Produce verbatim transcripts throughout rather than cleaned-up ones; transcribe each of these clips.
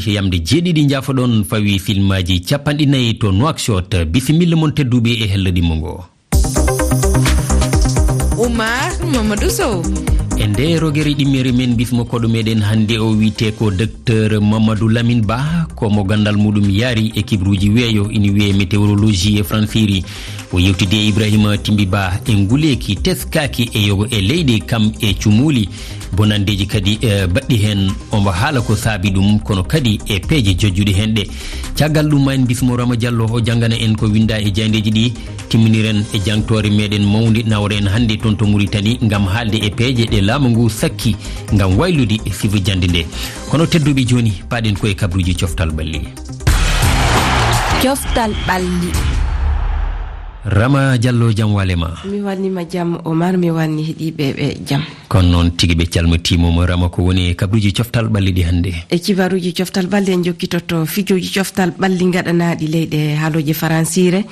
Yamde jeeɗiɗi njaafoɗon fawi filmaaji capanɗe nayi to Nouakchott. Bisimilla mon tedduɓe e hello ɗimmo ngo. Oumar Mamadou Sow. E nde rogere ɗimmere men bismo koɗo meɗen hannde o wiyete ko Docteur Mamadou Lamine Ba, ko mo ganndal muɗum yaari e kibruuji weeyo, ina wiyee météorologie e fransiri. O yewtidi e Ibrahima Timbi Ba e nguleeki teskaaki e yogo e leyɗe kam e cumuuli bonandeeji kadi, eh, baɗɗi heen. Omo haala ko saabi ɗum, kono kadi e peeje jojjuɗe heen ɗe. Caggal ɗum ma en bismo Rama Diallo, o janngana en ko winnda e jayndeeji ɗi. Timminiren e jangtoore meɗen mawnde nawren hannde toon to Mauritanie ngam haalde e peeje ɗe laamu ngu sakki ngam waylude e sifa jannde nde. Kono tedduɓe jooni, paaɗen ko e kabruuji coftal ɓalli. Coftal ɓalli. Rama Diallo, jam wale ma. Mi wannima jam, Omar, mi wanni heɗiiɓe ɓe jam. Kono noon tigi ɓe calmitiima mo. Rama, ko woni e kabruuji coftal ɓalli ɗi hannde? E kibaruuji coftal ɓalli en jokkitoto fijooji coftal ɓalli gaɗanaaɗi leyɗe haalooje faransiire.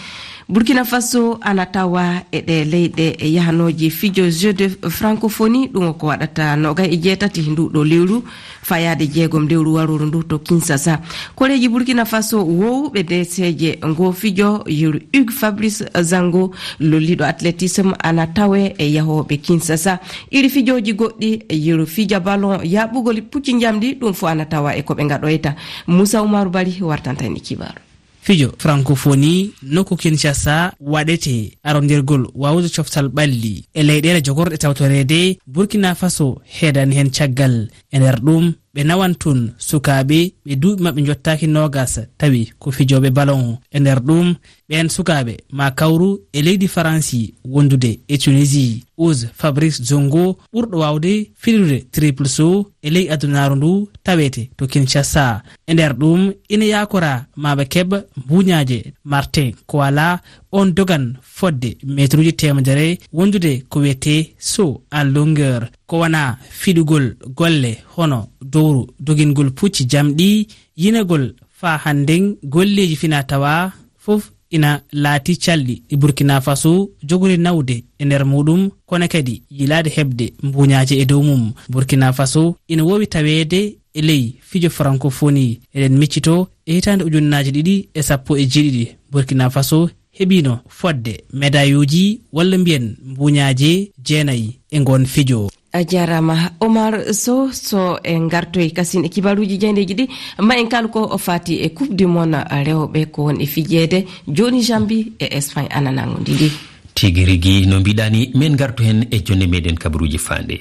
Burkina Faso ana tawa e ɗe leyɗe yahanooje fijo Jeux de Francophonie, ɗum ko waɗata noogay e jeetati ndu ɗo lewru, fayaade jeegom lewru warooru ndu to Kinshasa. Koreeji Burkina Faso wowɓe deeseeje ngo fijo, yeru Hugues Fabrice Zango, lolliɗo athlétisme, ana tawe e yahooɓe Kinshasa. Iri fijooji goɗɗi, yeru fija ballon, yaɓɓugol pucci njamdi, ɗum fof ana tawa e ko ɓe ngaɗoyta. Moussa Oumar Bari wartanta en e kibaru. Fijo Francophonie nokku Kinshasa waɗete arondirgol wawde coftal ɓalli e leyɗeele jogorɗe tawtoreede. Burkina Faso heedani heen caggal. E nder ɗum, ɓe nawan toon sukaaɓe ɓe duuɓi maɓɓe njottaaki noogas, tawi ko fijooɓe ballon. E nder ɗum, ɓeen sukaaɓe ma kawru e leydi Faransi wondude e Tunisie. Hugues Fabrice Zango, ɓurɗo waawde filude triple saut e ley adunaaru ndu, tawete to Kinshasa. E nder ɗum, ina yaakora ma ɓe keɓa mbuuñaaje. Martin Koala, on dogan fodde meetruuji teemedere, wondude ko wiyetee saut en longueur. Ko wona fiɗugol golle hono dowru, dogingol pucci jamɗi, yinagol faa hannden golleeji fina tawa fof ina laati calɗi ɗi Burkina Faso jogori nawde e nder muɗum, kono kadi yilaade heɓde mbuuñaaje e dow mum. Burkina Faso ina wowi taweede e ley fijo Francophonie. Eɗen miccito e hitaande ujunnaaji ɗiɗi e sappo e jeeɗiɗi, Burkina Faso heɓino fodde medayuuji walla mbiyen mbuuñaaje jeenayi e ngoon fijo. A jaaraama, Omar Sow. So en ngartoy kasin e kibaruuji jaayndeeji ɗi, ma en kaal ko o faati e Coupe du Monde rewɓe ko won e fijeede jooni Jambi e Espagne ana nangundi ndi. Tigi rigi no mbiɗaa ni, min ngarto heen e jonde meɗen kabaruuji faande.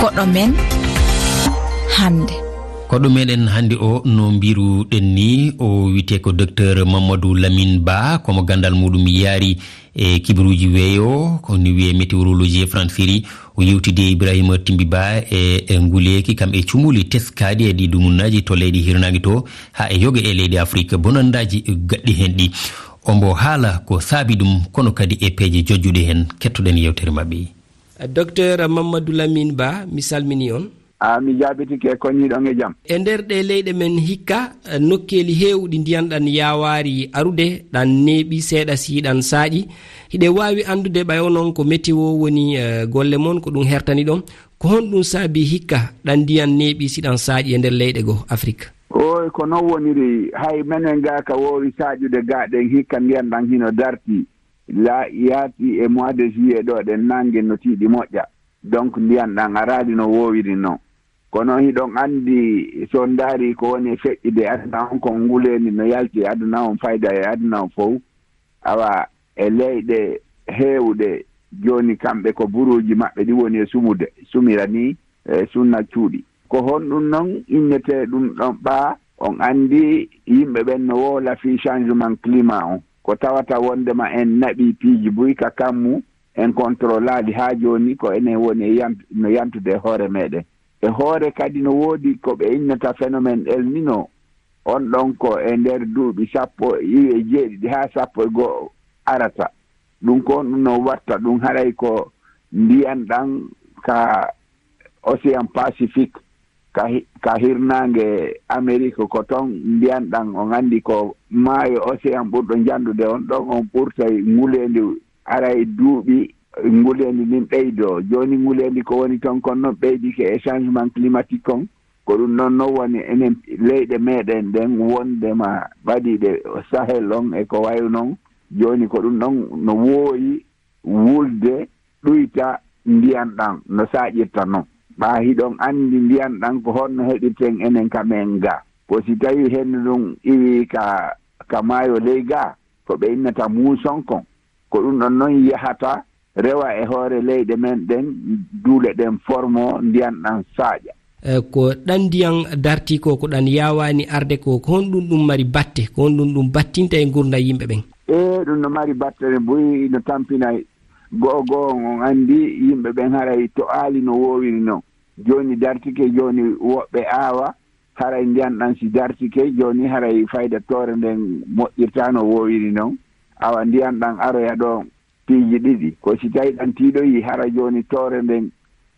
Koɗo men hannde. Koɗo meɗen hannde o, no mbiruɗen ni, o wiyetee ko Docteur Mamadou Lamine Ba, ko mo ganndal muɗum yaari e kibaruuji weeyo, ko ni wiyee météorologie e fransiri. O yewtidi e Ibrahima Timbi Ba e, e nguleeki kam e cumuuli teskaaɗi e ɗi dumunnaaji to leyɗe hirnaange to, haa e yoga e leyɗe Afrik, bonandaaji gaɗɗi heen ɗi. Ombo haala ko saabi ɗum, kono kadi e peeje jojjuɗe heen. Kettoɗen yewtere maɓɓe. Docteur Mamadou Lamine Ba, mi salmini on. A, mi jaabitike, koñiiɗon e jam. E nder ɗe leyɗe men hikka, eh, nokkeeli heewɗi ndiyan ɗan yaawaari arude, ɗan neeɓi seeɗa si ɗan saaƴi. Hiɗe waawi anndude ɓay onon ko météo woni, eh, golle mon, ko ɗum hertani ɗon. Ko honɗum saabi hikka ɗan ndiyan neeɓi si ɗan saaƴi e nder leyɗe goo Afrik? Ooy, ko non woniri. Hay menen gaa ka woowi saaƴude gaa ɗen hikka ndiyan ɗan hino darti. La yaati e mois de juillet ɗo ɗen nange no tiiɗi moƴƴa. Donc ndiyan ɗan araali no woowiri non. Kono hiɗon anndi, so on ndaari ko woni e feƴƴude aduna on, ko nguleendi no yalti e aduna on, fayda e aduna on fow. Awa, e leyɗe heewɗe jooni, kamɓe ko buruuji maɓɓe ɗi woni e sumude, sumira ni, e sunna cuuɗi. Ko honɗum non innetee ɗum ɗon ɓaa? On anndi yimɓe ɓen no wowla fii changement climat on. Ko tawata wonndema en naɓii piiji buy ka kammu, en controlaali haa jooni, ko enen woni e yant-, no yantude e hoore meɗen. E hoore kadi no woodi ko ɓe innata phénomène El Nino. On ɗon ko e nder duuɓi sappo e jeeɗiɗi haa sappo e go'o arata. Ɗum ko ɗum no watta ɗum, haray ko ndiyan ɗan ka Océan Pacifique, ka hi-, ka hirnaange Amérique, ko ton ndiyan ɗan, on anndi ko maayo Océan ɓurɗo njandude on ɗon, on ɓurtay nguleendi, aray duuɓi nguleendi ndin ɓeydoo. Jooni nguleendi ko woni ton kon non ɓeydike e changement climatique kon, Ko ɗum ɗon non woni enen leyɗe meɗen ɗen wondema ɓadiiɗe Sahel on e ko wayi non. Jooni ko ɗum ɗon no wooyi wulde ɗuyta ndiyan ɗan no saaƴirta non. Ɓaa hiɗon anndi ndiyan ɗan ko honno heɓirten enen ka men ga. Ko si tawi hendu ndun iwi ka, ka maayo ley ga, ko ɓe innata muuson kon. Ko ɗum ɗon non yahata rewa e hoore leyɗe men ɗen, duule ɗen formo ndiyan ɗan saaƴa. E, ko ɗan ndiyan darti ko, ko ɗan yaawaani arde ko, ko honɗum ɗum mari batte, ko honɗum ɗum battinta e ngurndan yimɓe ɓen? E, ɗum no mari batte buy, no tampina go'o go'o on, on anndi yimɓe ɓen haray to aali no woowiri non. Jooni dartike, jooni woɓɓe aawa, haray ndiyan ɗan si dartike, jooni haray fayda toore nden moƴƴirtaa no woowiri non. Awa ndiyan ɗan aroya ɗo piiji ɗiɗi. Ko si tawi ɗan tiiɗoyi, hara jooni toore nden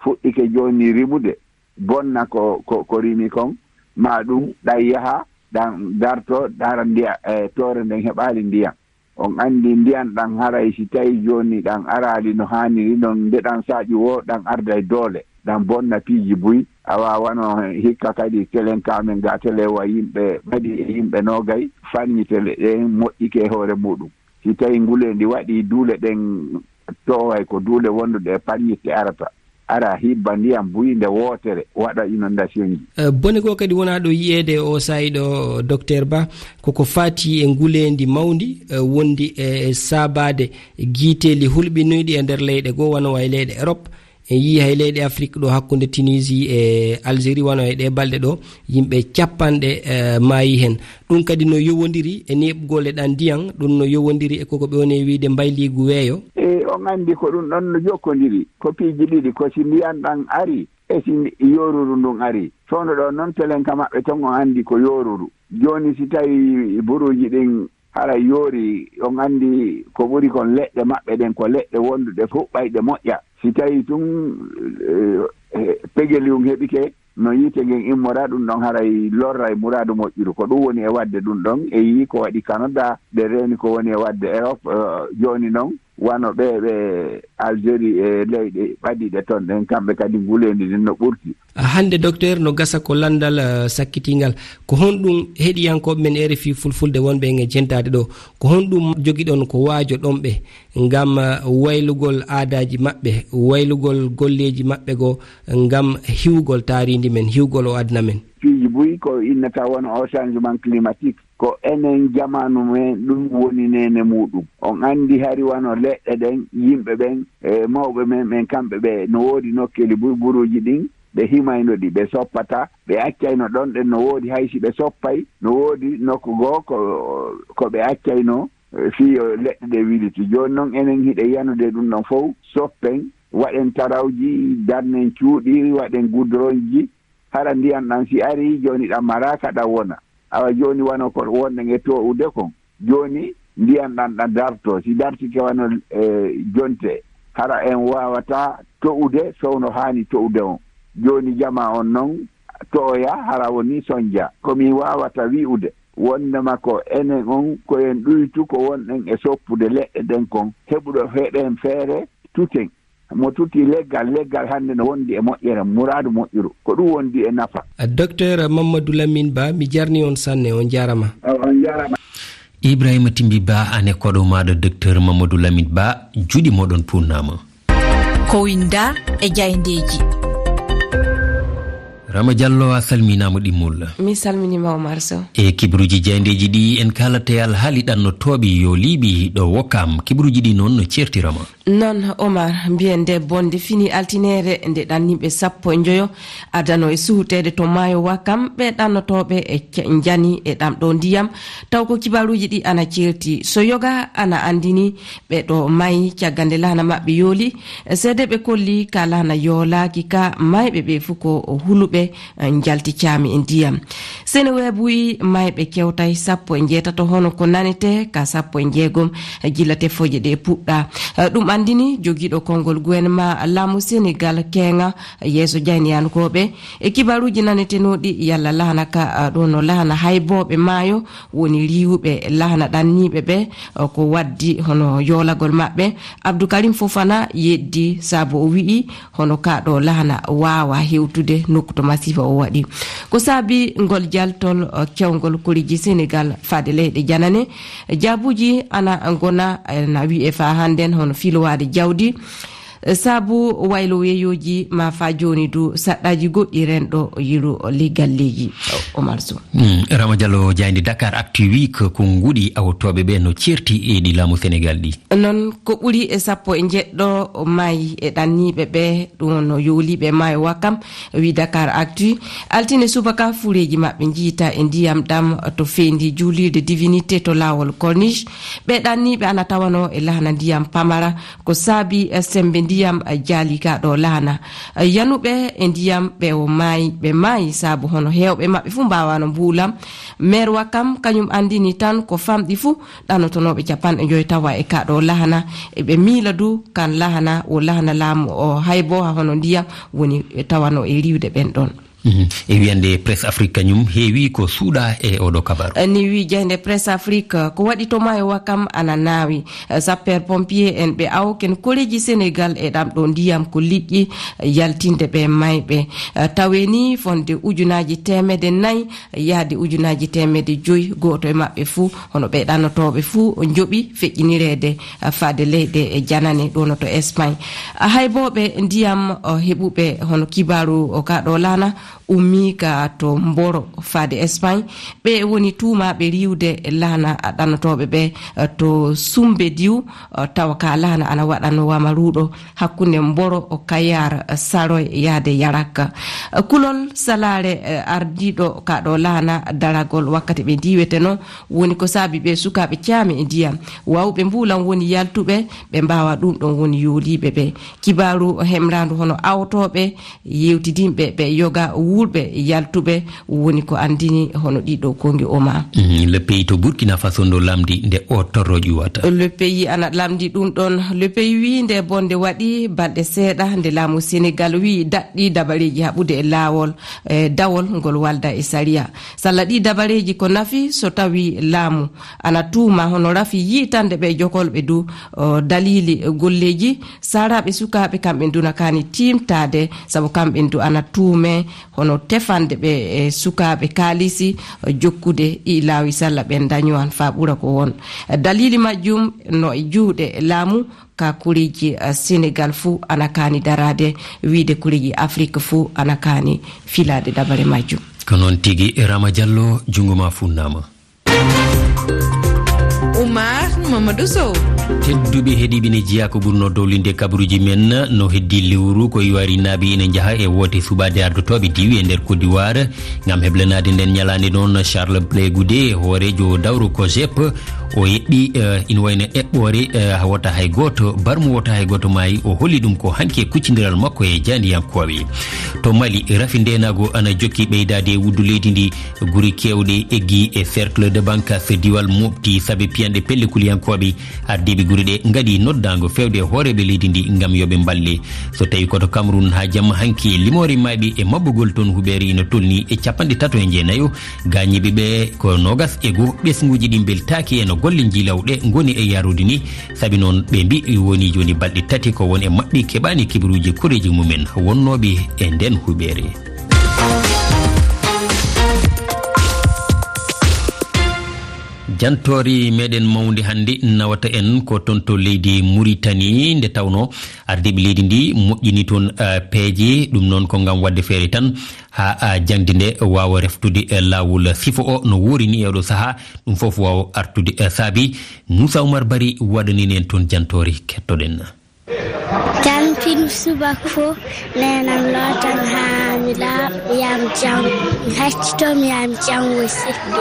fuɗɗike jooni rimude, bonna ko, ko, ko rimi kon, ma ɗum ɗan yaha, ɗan darto, hara ndiya-, e, toore nden heɓaali ndiyan. On anndi ndiyan ɗan haray si tawi jooni ɗan araali no haaniri non, nde ɗan saaƴi woo, ɗan arday doole, ɗan bonna piiji buy. Awa wano hikka kadi telen ka men ga tele wa yimɓe ɓadi e yimɓe noogay, fanñi tele ɗen moƴƴike e hoore muɗum. Si tawi nguleendi waɗi duule ɗen, toway ko duule wonduɗe e paññitte arata, ara hibba ndiyan buy nde wootere, waɗa inondation ji. Eh, bone goo kadi wonaa ɗo yi'eede e oo saa'i ɗo, Docteur Ba, koko faati e nguleendi mawndi, eh, wondi e saabaade giiteeli hulɓinuyɗi e nder leyɗe goo, wano way leyɗe Europe. En yii hay leyɗe Afrik ɗo hakkunde Tunisie e Algérie, wano e ɗee balɗe ɗo, yimɓe capanɗe, eh, maayi hen. Ɗum kadi no yowondiri e neeɓugol e ɗan ndiyan, ɗum no yowondiri e koko ɓe woni e wiide mbayliigu weeyo. E, on anndi ko ɗum ɗon no jokkondiri. Ko piiji ɗiɗi, ko si ndiyan ɗan ari, e si ndi-, yoruru ndun ari. Fewndo ɗo non telen ka maɓɓe ton, on anndi ko yoruru. Jooni si tawi buruuji ɗin hara yoori, on anndi ko ɓuri kon leɗɗe maɓɓe ɗen, ko leɗɗe wonduɗe fuɓɓayɗe moƴƴa. Si tawi tun, eh, eh, pegelium heɓike, no yiite ngen immora, ɗum ɗon haray lorray muraadu moƴƴuru. Ko ɗum woni e waɗde ɗum ɗon, e yii ko waɗi Canada, ɓe reeni ko woni e waɗde Europe, eh, jooni non, wano ɓe, ɓe Algérie e leyɗe ɓadiiɗe ton ɗen, kamɓe kadi nguleendi ndin no ɓurti. Hannde, Docteur, no gasa ko lanndal, eh, sakkitingal. Ko honɗum heɗiyankooɓe men R F I Fulfulde wonɓe en e jentaade ɗo? Ko honɗum jogiɗon ko waajoɗon ɓe ngam, eh, waylugol aadaaji maɓɓe, waylugol golleeji maɓɓe goo ngam hiwgol taariindi men, hiwgol o aduna men? Piiji buy ko innata won o changement climatique. Ko enen jamaanu men ɗum woni neene muuɗum. On anndi hari wano leɗɗe ɗen, yimɓe ɓen, e mawɓe men ɓen, kamɓe ɓe no woodi nokkeeli burburuuji ɗin, ɓe himayno ɗi, ɓe soppata, ɓe accayno ɗon ɗen no woodi, hay si ɓe soppay, no woodi nokku goo ko, ko ɓe accayno, eh, fii yo leɗɗe ɗe wiliti. Jooni non enen hiɗen yanude ɗum ɗon fow, soppen, waɗen tarawji, darnen cuuɗi, waɗen gudronji, hara ndiyan ɗan si ari, jooni ɗan maraaka ɗan wona. Awa jooni wano ko wonɗen e to'ude kon. Jooni ndiyan ɗan ɗan darto. Si dartike wano, eh, jonte, hara en waawata to'ude sowno haani to'ude on. Jooni jama on non to'oya hara woni sonja. Ko mi waawata wi'ude wondema ko enen on ko en ɗuytu ko wonɗen e soppude leɗɗe ɗen kon. Heɓuɗo heɗen feere tuten. Mo tuti leggal, leggal hannde no wondi e moƴƴere, muraadu moƴƴuru. Ko ɗum wondi e nafa. Docteur Mamadou Lamine Ba, mi jarni on sanne, on jarama. On jarama. Ibrahima Timbi Ba, ane koɗo maɗo Docteur Mamadou Lamine Ba, juuɗe moɗon puunnama. Ko winda e jayndeeji. Rama Diallo, a salminama ɗimmol. Mi salminima, Omar Sow. E kibaruuji jayndeeji ɗi en kaalata e alhaali ɗannotooɓe yooliiɓe ɗo Wokam. Kibaruuji ɗi noon no ceertirama. Noon, Omar, mbiyen nde bonde fini altineere nde ɗanniiɓe sappo e njoyo adano e suhuteede to maayo Wakam, ɓe ɗannotooɓe e ca-, njani e ɗam ɗo ndiyam, taw ko kibaaruuji ɗi ana ceerti. So yoga ana anndini ɓe ɗo maayi caggal nde laana maɓɓe yooli, seedeeɓe kolli ka laana yoolaaki ka, maayɓe ɓe fof ko huluɓe, njalti caami e ndiyam. Seneweb wiyi maayɓe kewtay sappo e njeetato, hono ko nanetee ka sappo e njeegom gila tefooje ɗe puɗɗa. Eh, ɗum anndini jogiiɗo konngol gouvernement laamu Senegal keeŋa yeeso jayniyankooɓe. E kibaaruuji nanetenooɗi, yalla laana ka, ah, ɗo no laana haybooɓe maayo woni riiwuɓe laana ɗanniiɓe ɓe, ah, ko waddi hono yoolagol maɓɓe. Abdou Karim Fofana yeddi sabu o wiyi hono ka ɗo laana waawa hewtude nokku to masiiba o waɗi. Ko saabi ngol jaltol, eh, kewngol koreeji Senegal faade leyɗe janane? Jaabuuji ana ngona, eh, na wi'e faa hannden hono filowaade jawdi, eh, sabu waylo weeyooji, maa faa jooni du saɗɗaaji goɗɗi renɗo yilu le galleeji. Omar Sow. Mm, Rama Diallo, jaaynde Dakar Actu wi ko, ko nguɗi awtooɓe ɓe no ceerti e ɗi laamu Senegal ɗi. Noon ko ɓuri e sappo e njeɗɗo maayi e ɗanniiɓe ɓe, ɗum no yowliiɓe maayo Wakam, wi Dakar Actu. Altine subaka fureeji maɓɓe njiyta e ndiyam ɗam to feendi juulirde Divinité to laawol Corniche. Ɓe ɗanniiɓe ana tawanoo e lahana ndiyam Pamara, ko saabi, eh, semmbe ndiyam, eh, jaali ka ɗo lahana. Eh, yanuɓe e ndiyam ɓe o maayi, ɓe maayi sabu hono heewɓe maɓɓe fuu mbaawano mbuulam. Meer Wakam kañum anndini tan ko famɗi fuu ɗanotonooɓe capanɗe njoy tawa e ka ɗo lahana. Eɓe miila du kan lahana, o lahana laamu o hay bo ha hono ndiyam woni tawano e riiwde ɓen ɗon. Mhm. E wiyande Presse Afrique kañum heewi ko suuɗa e oɗo kabaru. Eh, ni wi jaaynde Presse Afrique, ko waɗi to maayo Wakam ana naawi. Eh, sapeur pompier en ɓe awo ken koreeji Senegal e ɗam ɗo ndiyam ko liƴƴi, eh, yaltinde ɓe mayɓe. Eh, tawe ni fonde ujunaaji teemedde nayi yaade ujunaaji teemedde joy, gooto e maɓɓe fuu, hono ɓe ɗannotooɓe fuu, njoɓi feƴƴinireede, eh, faade leyɗe e janane ɗo no to Espagne. Ah, hay bo ɓe ndiyam, oh, heɓuɓe hono kibaaru o ka ɗo laana, ummii ka to Mboro faade Espagne. Ɓe woni tuumaaɓe riiwde laana ɗannotooɓe ɓe, eh, to Sumbediw, eh, tawa ka laana ana waɗanoo wamaruuɗo hakkunde Mboro, o Kayar, eh, Saroy yaade Yarak. Eh, kulol salaare, eh, ardiiɗo ka ɗo laana daragol wakkati ɓe ndiiweteno woni ko saabi ɓe sukaaɓe caami e ndiyam. Waawɓe mbuulan woni yaltuɓe, ɓe mbaawa ɗum ɗon woni yooliiɓe ɓe. Kibaaru hemraandu hono awtooɓe, yewtidinɓe ɓe yoga wuurɓe yaltuɓe woni ko anndini hono ɗiɗo kongi Oma. Mhm, Le Pays to Burkina Faso ndo lamndi nde o torro ƴuwata. Le Pays ana lamndi ɗum ɗon. Le Pays wi nde bonde waɗi balɗe seeɗa nde laamu Senegal wi daɗɗi dabareeji haɓude e laawol, e dawol ngol walda e sariya. Salla ɗi dabareeji ko nafi so tawi laamu ana tuuma hono rafi yiitande ɓe jokolɓe du, o, dalili golleeji. Saaraaɓe sukaaɓe kamɓe duna kaani tiimtaade, sabu kamɓe du ana tuume hono tefande ɓe e sukaaɓe kaalisi, o, jokkude ɗi laawi salla ɓen dañowan faa ɓura ko won. Dalili majjum no e juuɗe laamu ka kureeji, eh, Senegal fuu ana kaani daraade, wiide kureeji Afrik fuu ana kaani filaade dabare majjum. Ko noon tigi, Rama Diallo, junngo ma funnaama. Oumar Mamadou Sow. Tedduɓe heɗiiɓe ne jeyaa ko ɓurnoo dowlinde kabaruuji men no heddii lewru ko iwari naaɓe ina njaha e woote suɓaade ardotooɓe diwi e nder Côte d'Ivoire. Ngam heblanaade nden ñalaande noon, Charles Blé Goudé, hooreejo dawro COGEP, o eɓɓi, eh, ina wayno eɓɓoore, eh, wota hay gooto, barmu wota hay gooto maayi, o holli ɗum ko hanki e kuccindiral makko e jaandiyankooɓe. To Mali, rafi ndeenaagu ana jokki ɓeydaade e wuddu leydi ndi, guri keewɗe eggi e Cercle de Bankas Diwal Mopti saabe piyanɗe pelle kuliyankooɓe. Ardiiɓe gure ɗe ngaɗi noddaango feewde e hooreeɓe leydi ndi ngam yo ɓe mballe. So tawi ko to Cameroun, haa jamma hanki, limoore maayɓe e mabbugol toon huɓeere ina tolni e capanɗe tato e jeenayo. Gaañiiɓe ɓe ko noogas e goo. Ɓesnguuji ɗi mbeltaaki e no golle njiylaw ɗe ngoni e yaarude ni. Sabi noon ɓe mbi woni jooni balɗe tati ko won e maɓɓe keɓaani kibaruuji koreeji mumen wonnooɓe e nden huɓeere. Jantoori meɗen mawnde hannde nawata en ko toon to leydi Muritani, nde tawnoo ardiiɓe leydi ndi moƴƴini toon, eh, peeje. Ɗum noon ko ngam waɗde feere tan haa, ah, jaŋde nde waawa reftude, eh, laawol sifo o no woori ni e oɗo sahaa. Ɗum fof waawa artude, eh, saabi Moussa Oumar Bari waɗanini en toon jantoori, kettoɗen. Jantin subaka fof, neenam lootan haa mi laaɓa, yaa mi janngo. Mi haccitoo, mi yaa mi janngo e sirde.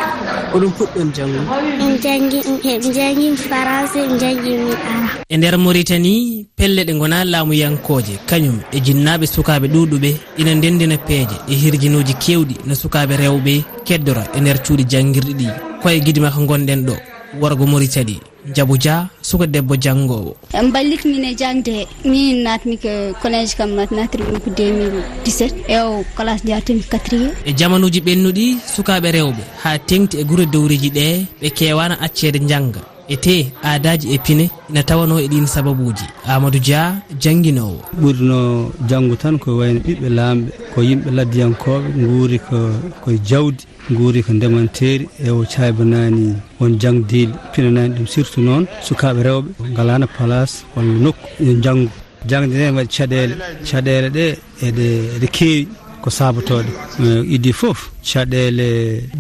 Oɗon puɗɗon janngo? Min janngi, min janngi Faranse, min janngi min Arab. E nder Mauritanie, pelle ɗe ngonaa laamuyankooje, kañum e jinnaaɓe sukaaɓe ɗuuɗuɓe ina ndenndina peeje e hirjinuuji keewɗi no sukaaɓe rewɓe keddora e nder cuuɗi janngirɗi ɗi. Ko e Gidimaka ngonɗen ɗo, worgo Mauritanie. Jabu Dia, suka debbo janngoowo. En mballit min e jaŋde he. Min naatmi ko collège kam, naat-, naatri ɗum ko deux mille dix-sept. E o classe njaartimi quatrième. E jamanuuji ɓennuɗi, sukaaɓe rewɓe haa teŋti e gure dowriiji ɗe, ɓe keewaana acceede njannga. E tee aadaaji e pine ina tawanoo e ɗiin sababuuji. Amadou Dia, jannginoowo. Ɓurnoo janngu tan ko wayno ɓiɓɓe laamɓe, ko yimɓe laddiyankooɓe, nguuri ko, ko e jawdi, nguuri ko ndemanteeri, e o caybanaani won jangdiiɓe, pinanaani ɗum, surtout noon sukaaɓe rewɓe, ngalaano place walla nokku yo njanngu. Jaŋde nde waɗi caɗeele, caɗeele ɗe eɗe, eɗe keewi ko saabotooɗe. Eh, idii fof caɗeele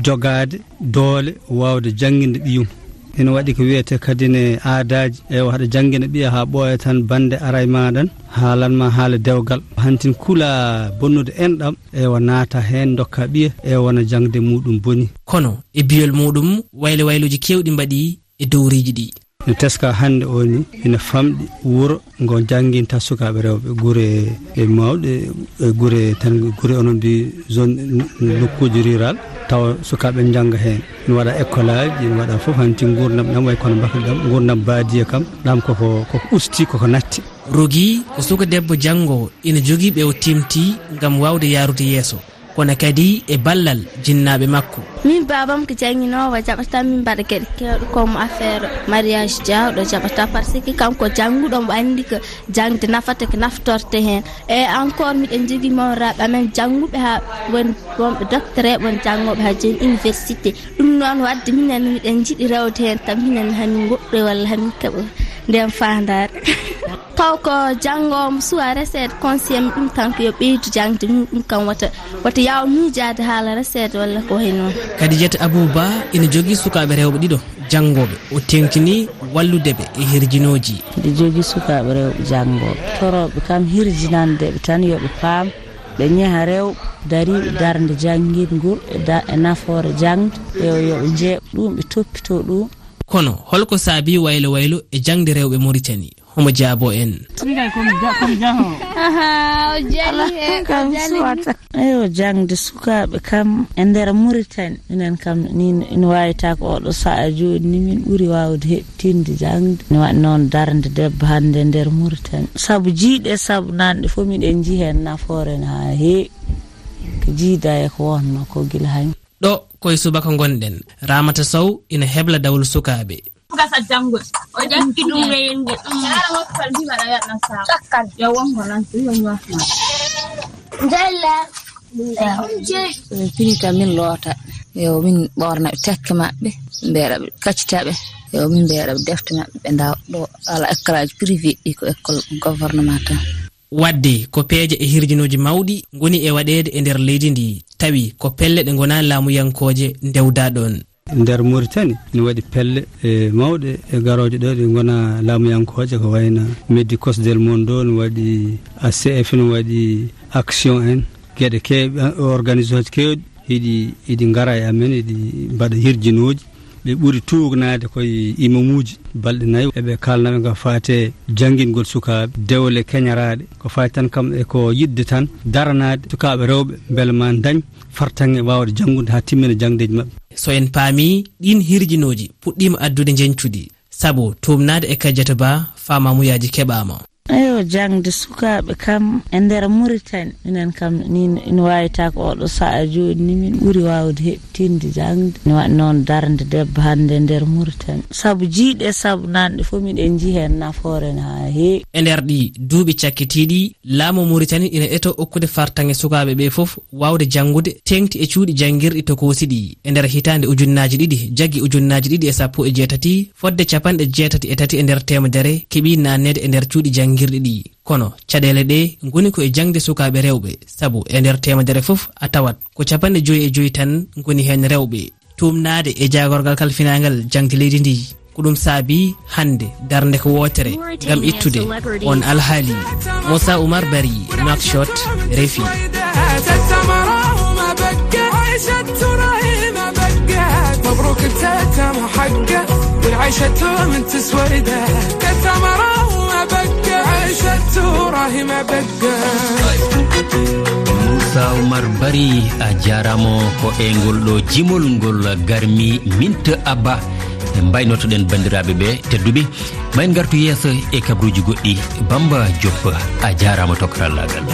jogaade doole waawde jannginde ɓiyum. Ina waɗi ko wiyetee kadi ne aadaaji, ewa, haɗa janngina ɓiya haa ɓooya tan bannde ara e maaɗan, haalan ma haala dewgal. Hantin kula bonnude enɗam, ewa, naata heen, ndokka ɓiya, ewa, wona jaŋde muɗum boni. Kono e biyol muɗum, waylo wayluuji keewɗi mbaɗi e dowriiji ɗi. No teska hannde o ni, ina famɗi wuro ngo jannginta sukaaɓe rewɓe, gure e mawɗe, e gure tan, gure onon mbi zone, nokkuuji rural, tawa sukaaɓe njannga heen. Ina waɗa école aji, ina waɗa fof, hanti nguurndam ɗam way kono mbakal ɗam, nguurndam baadiya kam, ɗam koko, koko usti, koko natti. Rogi ko suka debbo janngoowo, ina jogii ɓe o timti ngam waawde yaarude yeeso, kono kadi e ballal jinnaaɓe makko. Min baabam ko jannginoowo, jaɓata min mbaɗa geɗe keewɗe comme affaire mariage jaawɗo jaɓata, par ce que kanko jannguɗo, omo anndi ko jaŋde nafata, ko naftorte heen. E encore miɗen njogii mawraaɓe amen jannguɓe haa won wonɓe docteur, won janngooɓe haa jooni université. Ɗum noon waɗde minen miɗen njiɗi rewde heen, tan minen hamin ngoɗɗoy walla hamin keɓa ndeen faandaare. Taw ko janngoowo suwa reseede conseillé mi ɗum tan ko yo ɓeydu jaŋde mum, ɗum kam wota, wota yaaw miijaade haala reseede walla ko wayi noon. Kadijata Abou Ba ina jogii sukaaɓe rewɓe ɗiɗo janngooɓe. O teeŋtini wallude ɓe e hirjinooji. Mbiɗo jogii sukaaɓe rewɓe janngooɓe. Torooɓe kam hirjinande ɓe tan yo ɓe paam, ɓe ñeha rewɓe dariiɓe darnde janngingol e da-, e nafoore jaŋde, yo, yo ɓe njeeɓ ɗum, ɓe toppitoo ɗum. Kono holko saabii waylo waylo e jaŋde rewɓe Mauritanie? Homo jaabo en. Aha, o jali he, o jali. Eyo, jaŋde sukaaɓe kam e nder Mauritanie, minen kam ni ina waawi taako oɗo sa'a jooni ni min ɓuri waawde heɓtinde jaŋde. Ina waɗi noon darnde debbo hannde e nder Mauritanie. Sabu jiiɗe, sabu nanɗe fof miɗen njii heen nafoore no haa heewi. Ko jiida e ko wonno ko gila hanki. Ɗo koye subaka ngonɗen, Ramata Sow ina hebla dawol sukaaɓe. Gasa janngo. O ƴakki ɗum e yimɓe. Yaara mokkal mbiɗa waɗa sa'a. Cakkan. Yo wongo nan, yo ñootna. Njalla. Ɓe pinita min loota. Yo min ɓoorna ɓe tekke maɓɓe. Mbeeɗa ɓe kaccita ɓe. Yo min mbeeɗa ɓe defte maɓɓe ɓe ndaw. Ɗo ala école aji privé ɗi, ko école gouvernement tan. Waɗde ko peeje e hirjinooji mawɗi ngoni e waɗeede e nder leydi ndi, tawi ko pelle ɗe ngonaa laamuyankooje ndewda ɗoon. Nder Mauritanie, ina waɗi pelle, e, mawɗe e garooje ɗo ɗe ngonaa laamuyankooje, ko wayno Médicos del Mundo, ina waɗi A C F, ina waɗi Action en, geɗe keewɗe, organisation keewɗi. Hiɗi, hiɗi ngara e amen, hiɗi mbaɗa hirjinooji. Ɓe ɓuri tuugnaade koye imamuuji balɗe nayi. Eɓe kaalna ɓe ko faati e janngingol sukaaɓe, dewle keñaraaɗe. Ko faati tan kam e ko yiɗde tan daranaade sukaaɓe rewɓe mbele ma ndañ fartaŋŋe waawde janngude haa timmina jaŋdeeji maɓɓe. So en paami, ɗiin hirjinooji puɗɗiima addude njeñcudi, sabu tuumnaade e Kadiata Ba, faamaamuyaaji keɓaama. Eyo, jaŋde sukaaɓe kam e nder Mauritanie, minen kam ni ina waawi taako oɗo sa'a jooni ni min ɓuri waawde heɓtinde jaŋde. Ina waɗi noon darnde debbo hannde e nder Mauritanie. Sabu jiiɗe, sabu nanɗe fof miɗen njii heen nafoore no haa heewi. E nder ɗi duuɓi cakkitiiɗi, laamu Mauritanie ina eto okkude fartaŋŋe sukaaɓe ɓe fof waawde janngude, teeŋti e cuuɗi janngirɗi tokoosi ɗi. E nder hitaande ujunnaaji ɗiɗi jaggi ujunnaaji ɗiɗi e sappo e jeetati, fodde capanɗe jeetati e tati e nder teemedere keɓii naanneede e nder cuuɗi janngirɗi ɗi. Kono caɗeele ɗe ngoni ko e jaŋde sukaaɓe rewɓe, sabu e nder teemedere fof a tawat ko capanɗe joyi e joyi tan ngoni heen rewɓe. Tuumnaade e jaagorgal kalfinaangal jaŋde leydi ndi, ko ɗum saabii hannde darnde ko wootere ngam ittude on alhaali. Moussa Oumar Bari, Nouakchott, RFI. مبروك التتم حقه، والعيشة من تسويده. تتم راهو ما بقى، عيشة راهي ما بقى. Moussa Oumar Bari, a jaaraama. Ko e ngol ɗo jimol ngol garmi Minta Abba. Mbaynotoɗen banndiraaɓe ɓe tedduɓe. Ma en ngartu yeeso e kabaruuji goɗɗi. Bamba Diop, a jaaraama to karallaagal.